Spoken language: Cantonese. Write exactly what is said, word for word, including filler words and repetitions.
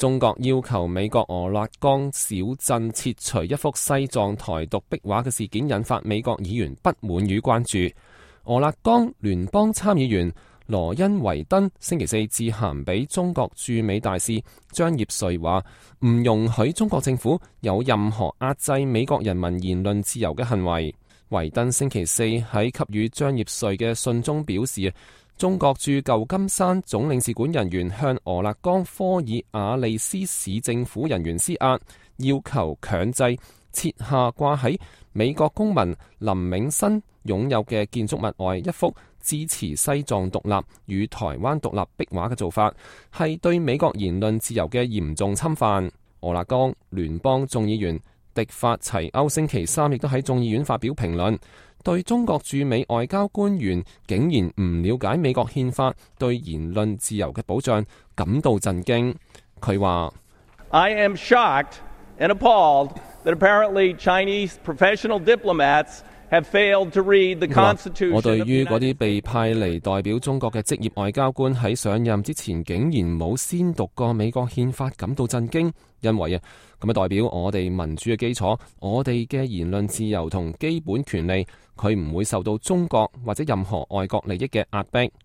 中國要求美國俄勒岡小鎮撤除一幅西藏台獨壁畫嘅事件，引發美國議員不滿與關注。俄勒岡聯邦參議員羅恩維登星期四致函俾中國駐美大使張業遂，話唔容許中國政府有任何壓制美國人民言論自由嘅行為。維登星期四喺給予張業遂嘅信中表示，中國駐舊金山總領事館人員向俄勒岡科爾瓦利斯市政府人員施壓，要求強制撤下掛喺美國公民林永新擁有嘅建築物外一幅支持西藏獨立與台灣獨立壁畫嘅做法，係對美國言論自由嘅嚴重侵犯。俄勒岡聯邦眾議員迪法齊歐星期三亦都喺眾議院發表評論，對中國駐美外交官員竟然唔了解美國憲法對言論自由嘅保障感到震驚。佢話 I am shocked and appalled that apparently Chinese professional diplomats have failed to read the Constitution。 我對於嗰啲被派嚟代表中國嘅職業外交官喺上任之前竟然冇先讀過美國憲法感到震驚，因為啊咁啊代表我哋民主嘅基礎，我哋嘅言論自由同基本權利，佢唔會受到中國或者任何外國利益嘅壓迫。